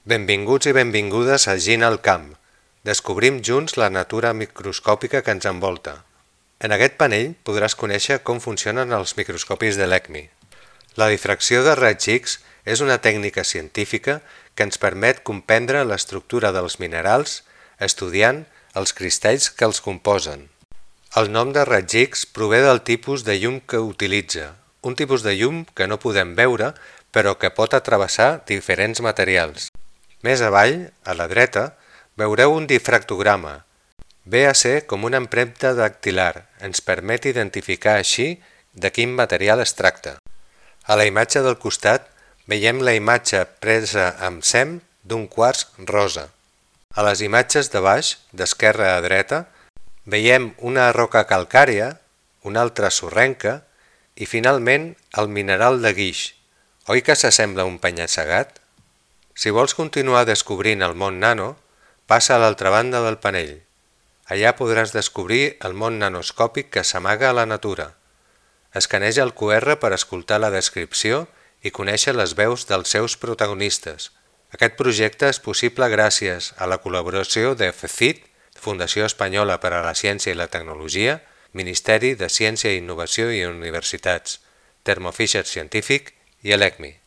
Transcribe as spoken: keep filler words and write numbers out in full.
Benvinguts i benvingudes a Gina al camp. Descobrim junts la natura microscòpica que ens envolta. En aquest panell podràs conèixer com funcionen els microscopis de l'ECMI. La difracció de raigs X és una tècnica científica que ens permet comprendre l'estructura dels minerals estudiant els cristalls que els composen. El nom de raig X prové del tipus de llum que utilitza, un tipus de llum que no podem veure però que pot atravessar diferents materials. Més avall, a la dreta, veureu un difractograma. Ve a ser com una empremta dactilar, ens permet identificar així de quin material es tracta. A la imatge del costat veiem la imatge presa amb S E M d'un quars rosa. A les imatges de baix, d'esquerra a dreta, veiem una roca calcària, una altra sorrenca i finalment el mineral de guix. Oi que s'assembla a un penya-segat? Si vols continuar descobrint el món nano, passa a l'altra banda del panell. Allà podràs descobrir el món nanoscòpic que s'amaga a la natura. Escaneja el Q R per escoltar la descripció i conèixer les veus dels seus protagonistes. Aquest projecte és possible gràcies a la col·laboració de F C I T, Fundació Espanyola per a la Ciència i la Tecnologia, Ministeri de Ciència i Innovació i Universitats, Thermo Fisher Scientific i l'ECMI.